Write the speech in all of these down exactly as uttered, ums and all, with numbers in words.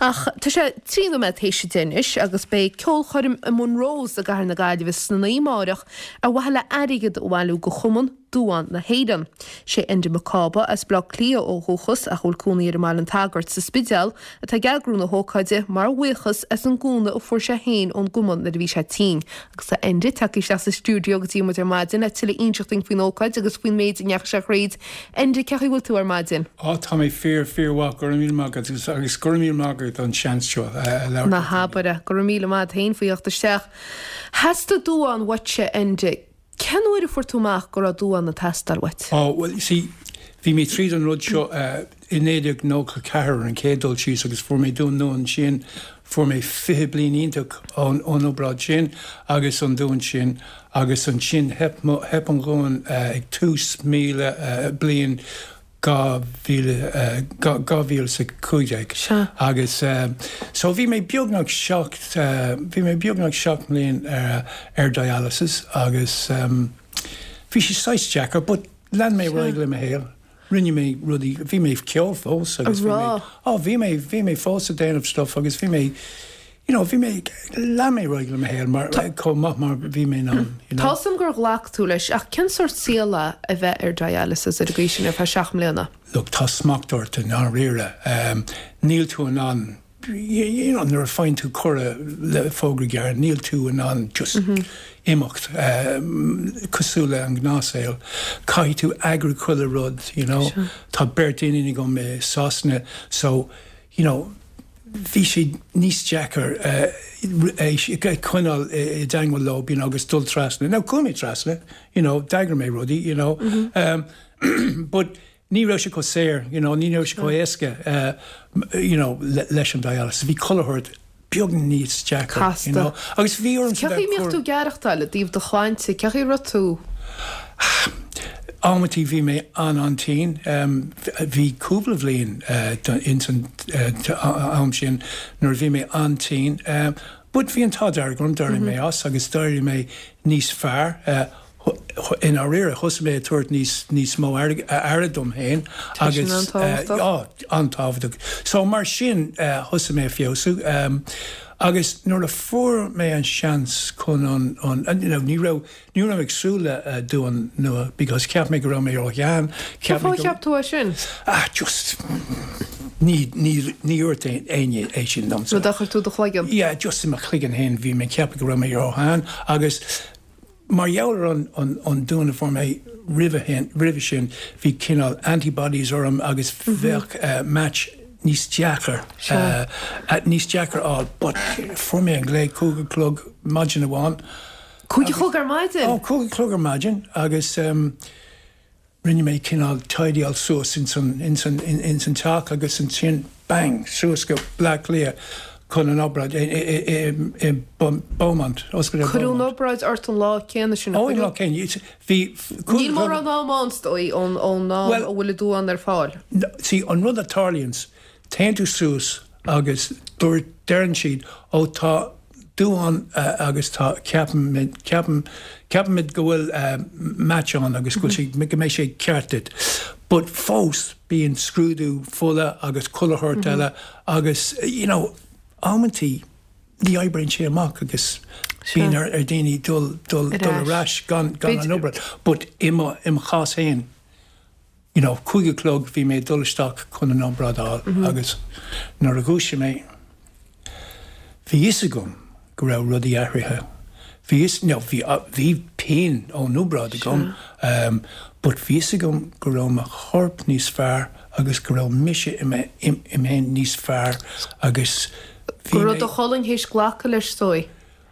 Ach tá sé trí nóiméad théis a deich anois agus beidh ceolchoirm i Monroe's i gCathair na Gaillimhe sna naoi amárach ar mhaithe le airgead a bhailiú do Chumann Duán na hÉireann. Sé Enda Mac Cába as Baile Átha Cliath ó dhúchas ach bhfuil cónaí air i mBaile an tSagairt sa Spidéal atá ag eagrú na hócáide mar bhuíochas as an gcúnamh a fuair sé féin ón gcumann nuair a bhí sé tinn. Agus tá Enda tagtha isteach sa stiúideo go dtí muid ar maidin le tuilleadh inseacht dúinn faoin ócáid agus faoin méid a ndeachaigh sé thríd. Enda cén chaoi a bhfuil tú ar maidin. Á tá mé fíor fíormhaith go raibh míle maith agat agus agus go raibh míle maith agat an seans seo le Na habair go raibh míle maith féin faoi theacht isteach. Theastaigh duán uaitse Enda. Cén uair a fuair tú amach go raibh duán ag teastáil uait? Ó well see bhí mé tríd an rud seo uh, i naoi déag nócha ceathair an chéad dul síos agus fuair mé duán nua ansin fuair mé fiche bliain iontach ón ón obráid sin agus an duán sin agus ansin theip theip an duán uh, ag tús míle uh, bliain dhá mhíle dhá mhíle sa cúig déag agus so bhí mé beagnach seacht bhí mé beagnach seacht mbliain ar ar dialysis agus um, bhí sé saghas deacair, but lean mé ar aghaidh le mo shaol. Rinne mé rudaí bhí mé ceol fós agus bhí mé á bhí mé bhí mé fós ag déanamh stuff agus bhí mé you know, bhí mé lean mé ar aghaidh le mo shaol mar chomh maith mar bhí mé an. Tá sam gur ghlac tú leis ach cén sórt saol é a bheith ar dialysis ar an gcaoi sin ar feadh seacht mbliana. Look, tá smacht ort i ndáiríre. Um, níl tú in ann you know, nuair a faigheann tú cuireadh le fógra gearr, níl tú in ann just mm -hmm. imeacht um, cosúil le an gnáthshaol. Caithfidh tú eagrú chuile rud, you know. Sure. Tá beirt iníon agam i Sasana, so you know, bhí sé níos deacair uh, coinneáil i dteagmháil leo you know, agus dul trasna. Now chuaigh mé trasna, you know, d'eagraigh mé rudaí, you know. Mm -hmm. um, but ní raibh sé chomh saor, you know, ní raibh sé chomh éasca uh, you know, le, leis an dialysis. Bhí chuile shórt beag níos deacair, you know. Agus bhí orm Cén chaoi a mbíodh tú ag aireachtáil i dtaobh do shláinte, cén chaoi a raibh tú? Amantaí bhí mé an an-tinn um, bhí cúpla bhliain uh, in san uh, am sin nuair bhí mé an-tinn. Um, but bhí an t-ádh dearg orm d'éirigh mé as agus d'éirigh mé níos fearr. Uh, i ndáiríre thosaigh mé tabhairt níos níos mó aire dom féin agus an-tábhachtach. So mar sin thosaigh mé feabhsú. Um, agus nuair a fuair mé an seans chun an an you know, ní raibh ní raibh ag súil le uh, duán nua because cheap mé go raibh mé róshean Cheap tú é sin? Ah just ní ní ní dúirt éinne é sin dom. Rud a chuir tú i do chloigeann? Yeah, just i mo chloigeann féin bhí mé ceap go raibh mé róshean agus mar gheall ar an an an duán a fuair mé roimhe sin bhí cineál antibodies orm agus bheadh uh, match níos deacair uh, níos deacair á but fuair mé an glao cúig a chlog maidin amháin. Cúig a chlog ar maidin? Ó cúig a chlog ar maidin agus um, rinne mé cineál tidyáil suas in san in san in, in san teach agus ansin bang suas go Bleá Cliath chun an obráid i Beaumont. Cuireadh an obráid ort an lá céanna sin? Ó lá céanna bhí Níl mórán am ann ón ón am a bhfuil duán ar fáil. Sí an rud a tharlaíonn téann tú suas agus dúirt deireann siad ó tá duán uh, agus tá ceapaim ceapaim ceapaimid go bhfuil uh, match ann agus go sé go mbeidh sé ceart duit. But fós bíonn scrúdú fola agus chuile shórt eile agus you know, amantaí ní oibríonn sé amach agus bíonn ar ar daoine dul dul dul ar ais gan gan an obráid. But i mo i mo chás féin you know, cúig a chlog bhí mé dul isteach chun an obráid a fháil mm -hmm. agus nuair a dhúisigh mé bhí fhios agam go raibh rudaí athraithe. Bhí no, bhí bhí pian ón obráid agam, um, but bhí fhios agam go raibh mo chorp níos fearr agus go raibh mise im féin níos fearr agus Go raibh do cholainn théis glacadh leis sói.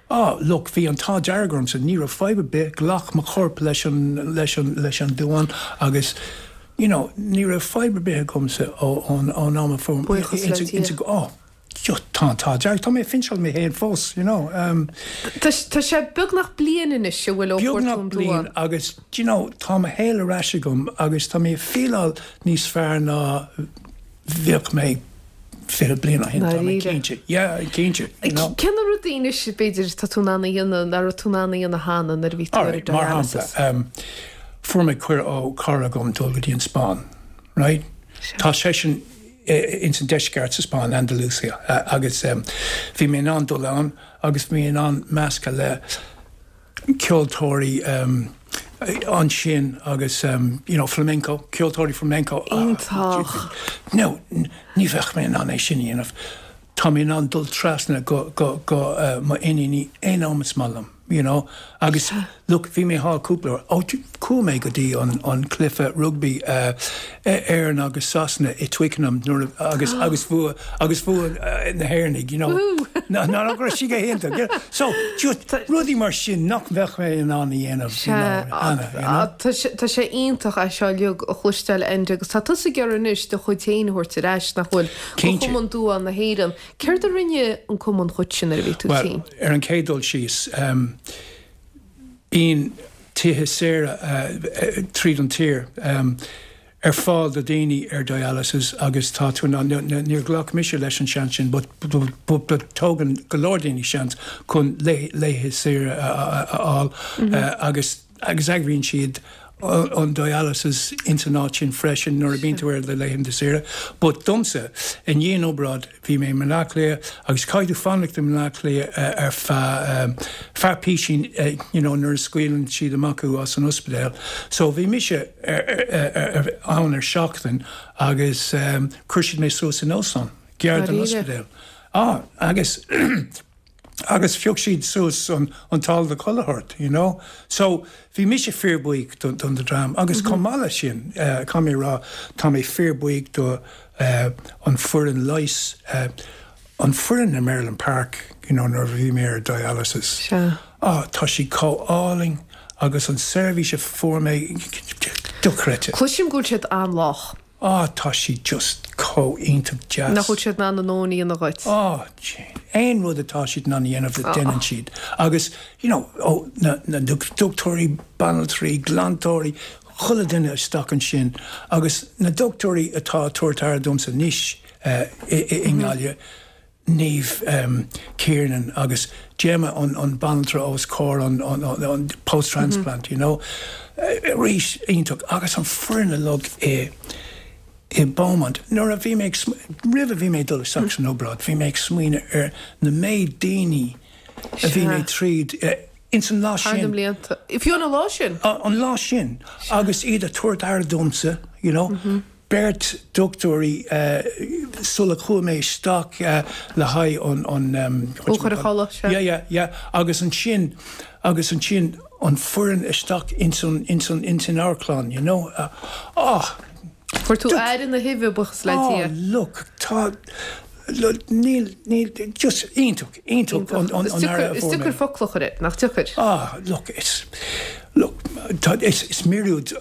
Ah, look, bhí an t-ádh dearg ormsa ní raibh fadhb ar bith ghlac mo chorp leis an leis an leis an duán agus you know, ní raibh fadhb ar bith agamsa ón ón am a fuair oh, tá tá dearg tá mé finseáil mé féin fós, you know. Um, Tá sé beagnach bliain anois a bhfuil ó Beagnach bliain agus you know, tá mo shaol ar ais agam agus tá mé feeláil níos fearr ná bheadh mé fiche bliain ó shin tá mé cinnte. Yeah, cinnte. You know. Cé na rudaí anois b'fhéidir tá tú in ann a dhéanamh nach raibh tú in ann a dhéanamh cheana nuair a bhí tú ar Alright, mar shampla, dialysis? um, fuair mé cuireadh ó chara agam dul go dtí an Spáinn, right? Tá seisean ins an deisceart sa Spáinn, Andalusia, agus bhí mé in ann dul ann agus bhí mé in ann meascadh le ceoltóirí ansin agus you know flamenco, ceoltóirí flamenco. Iontach. No, ní bheadh mé in ann é sin a dhéanamh. Tá mé in ann dul trasna go go go mo iníní aon am is maith liom, you know. Agus look, bhí mé thall cúpla uair. Ó, chuaigh mé go dtí an an cluiche rugbaí Éireann agus Sasana i Twickenham nuair a agus agus bhua agus bhua na hÉireannaigh, you know. Ná ná go raibh sí go hiontach. So, just rudaí mar sin nach mbeadh mé in ann a dhéanamh, you know, Anna, you know. Tá sé iontach é seo uilig a chloisteáil Enda agus tá tusa ag iarraidh anois do chuid féin a thabhairt ar ais nach bhfuil go Cumann Duán na hÉireann. Céard a rinne an cumann dhuit sin nuair a bhí tú Well, tinn? ar an chéad dul síos, um, bíonn tithe saoire uh, tríd an tír um, ar fáil do daoine ar dialysis agus tá tú ná níor ghlac mise leis an seans sin, but, but, but, but tógann go leor daoine seans chun laethe saoire a fháil uh, agus agus eagraíonn siad an dialysis ins an áit sin freisin nuair a bhíonn tú ar do laethanta saoire. But domsa i ndiaidh an obráid bhí mé i mBaile Átha Cliath agus caithfidh tú fanacht i mBaile Átha Cliath ar feadh feadh písín you know, nuair a scaoileann siad amach thú as an ospidéal. So bhí mise ann ar seachtain agus um, chuir siad mé suas in óstán, gar don ospidéal. Ah, agus agus phioc siad suas an, an táille do chuile shórt, you know. So bhí mise fíorbhuíoch don, don dream agus mm -hmm. chomh maith leis sin uh, caithfidh mé rá tá mé fíorbhuíoch do uh, an foireann leighis uh, an foireann i Merlin Park you know, nuair bhí mé ar dialysis. Sea. Ah, tá sí chomh álainn agus an seirbhís a fuair mé dochreidte. Cloisim go bhfuil siad an-lách. Ah, tá sí just chomh iontach deas. Nach bhfuil siad in ann a ndóthain a dhéanamh dhuit. Ah, aon rud atá siad in ann a dhéanamh déanann siad. Agus you know, ó, na, na dochtúirí, banaltraí, glantóirí, chuile duine isteach ansin, agus na dochtúirí atá tabhairt aire domsa anois uh, i, i, i nGaillimh, Niamh um, Kiernan agus Gemma an, an banaltra os comhair an, an, an, an post-transplant, mm -hmm. you know. Uh, arís iontach agus an foireann uilig i i Beaumont. Nuair a bhí mé roimh a bhí mé dul isteach san obráid, bhí mé ag smaoineamh ar na méid daoine a bhí mé tríd uh, ins an lá sin. Blianta. Fiú an lá sin? An lá sin agus iad ag tabhairt aire domsa, you know. Mm -hmm. Beirt dochtúirí uh, sula chuaigh mé isteach uh, le haghaidh an an um, yeah, yeah, yeah. agus ansin agus ansin an foireann isteach ins an ins an ins an amharclann, you know. Uh, oh, Fuair tú aire na huibhe buíochas le Oh, Dia. look, tá níl níl just iontach iontach an an Is an aire a Is fuair mé. deacair focail a chur air, nach deacair. Ah, look, it's look, tá, is, is míorúilt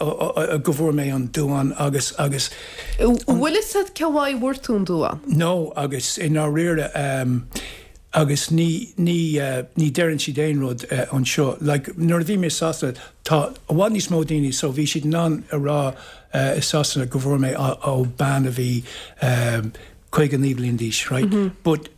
go bhfuair mé an duán agus agus Bhfuil fhios agat cén fáth a bhfuair tú an duán? no agus i ndáiríre um, agus ní ní uh, ní deireann siad aon rud uh, anseo like nuair a bhí mé Sasana tá i bhfad níos mó daoine so bhí siad in ann a rá uh, i Sasana go bhfuair mé ó, ó bean a bhí um, caoga naoi bliain d'aois right mm -hmm. but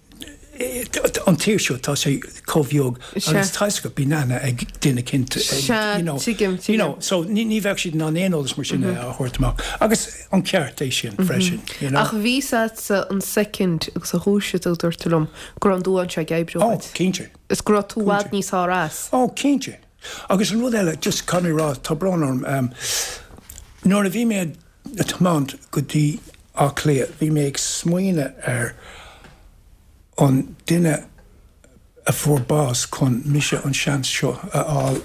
eh, an tír seo tá sé chomh beag Sea. agus tá go bíonn aithne ag duine éicint Sea, you know, tuigim, you know, tuigim. so ní ní bheadh siad in ann aon eolas mar sin a thabhairt amach agus an ceart é sin freisin you know. Ach bhí sa an second agus a dhúiseacht a dúirt tú liom go raibh an duán seo ag oibriú Oh, duit. cinnte. Is go raibh tú i bhfad níos fearr as. Oh, cinnte. Agus an rud eile, just caithfidh mé rá, tá brón orm, um, nuair a bhí mé ag tiomáint go dtí Áth Cliath, bhí mé ag smaoineamh ar an duine a fuair bás chun mise an seans seo a fháil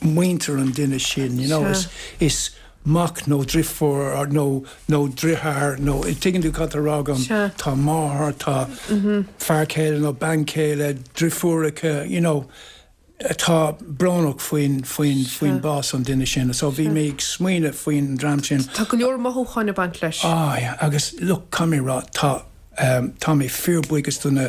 muintir an duine sin, you know, Sea. is, is mac nó deirfiúr nó nó deartháir nó tuigeann tú cad tá á rá agam Sea. tá máthair tá fear céile nó bean chéile deirfiúracha you know atá brónach faoin faoin faoin bás an duine sin so bhí mé ag smaoineamh faoin dream sin Tá go leor mothúcháin ag baint leis. Ah, yeah, agus look caithfidh mé rá tá um, tá mé fíorbhuíoch do na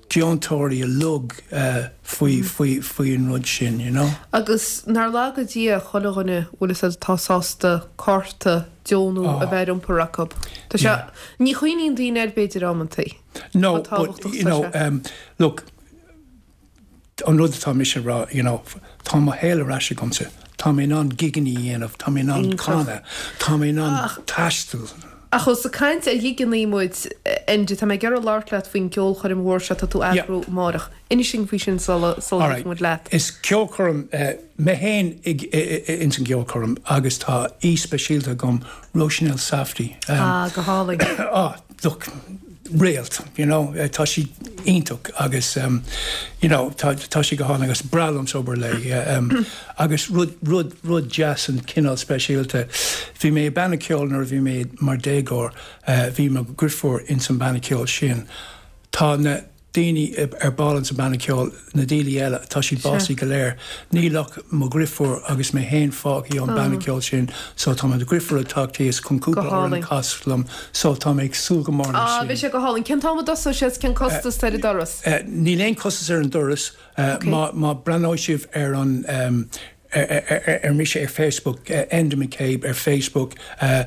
deontóirí uilig uh, faoi faoi faoi an rud sin you know Agus nár laga Dia chuile dhuine bhfuil fhios agat atá sásta cárta deonú Oh. a bheith iompar acu. Tá sé ní chuimhníonn daoine air b'fhéidir amantaí. No, Tá but tábhachtach you know, sé. um, look, an rud atá mise rá, you know, tá mo shaol ar ais agamsa. Tá mé in ann gigeanna a dhéanamh, tá mé in ann Iontach. canadh, tá mé in ann taisteal. Ach ós ag caint ar ghigeanna muid, Enda, tá mé ag iarraidh labhairt leat faoin gceolchoirm mhór seo atá tú a eagrú amárach. Inis dúinn faoi sin sula sula Alright. ligfidh muid leat. Is ceolchoirm mé féin ins an gceolchoirm agus tá aoi speisialta agam, Róisín Elsafty. Ah, go hálainn. Ah, look, réalt, you know, tá sí iontach agus um, you know, tá, tá sí go hálainn agus breá liomsa obair léi um, agus rud, rud, rud deas an cineál speisialta. Bhí mé i banna ceoil nuair a bhí mé mar déagóir, uh, bhí mo dheirfiúr ins an banna ceoil sin. Tá na daoine ar ball sa banna ceoil na daoine eile tá siad básaithe go léir. Níl ach mo dheirfiúr agus mé féin fágtha ón banna ceoil sin, so tá mo dheirfiúr ag teacht thíos chun cúpla hálainn. amhrán a chasadh liom, so tá mé ag súil go mór leis Ah, sin. bhí sé go hálainn. Cén t-am a dtosóidh sé cén costas ar an doras? Uh, níl aon costas ar an doras uh, Okay. má, má breathnóidh sibh ar an um, ar, ar, ar, ar mise ar Facebook uh, Enda McCabe ar Facebook uh,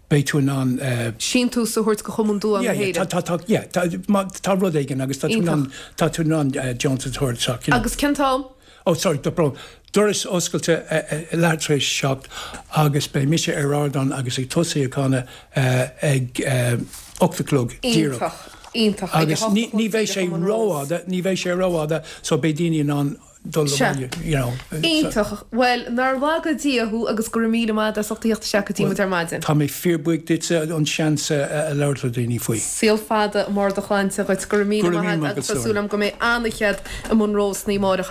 beidh tú in ann uh, Síntiús a thabhairt go Chumann Duán yeah, na yeah, tá, hÉireann. tá, tá, yeah, tá, má, tá rud éigin agus tá tú in ann tá tú in ann uh, deontas a thabhairt you know. Agus cén t-am? Oh, sorry, tá brón. Doras oscailte uh, leathuair tar éis seacht agus beidh mise ar ardán agus ag tosú ag canadh uh, ag uh, ocht a chlog díreach. Iontach, iontach. Ag a Agus hocht ní a chlog ní bheidh sé díreach i Monroe's. rófhada, ní bheidh sé rófhada, so beidh daoine in ann dul Sea. abhaile, you know. So, Iontach. Well, nár laga Dia thú agus go raibh míle maith as ucht a theacht isteach go dtí muid ar maidin. Tá mé fíorbhuíoch duitse an seans a labhairt le daoine faoi. Saol fada mór de shláinte dhuit go raibh míle Go raibh míle maith maith agus agat, tá súil agam go mbeidh an-chead i Monroe's amárach agus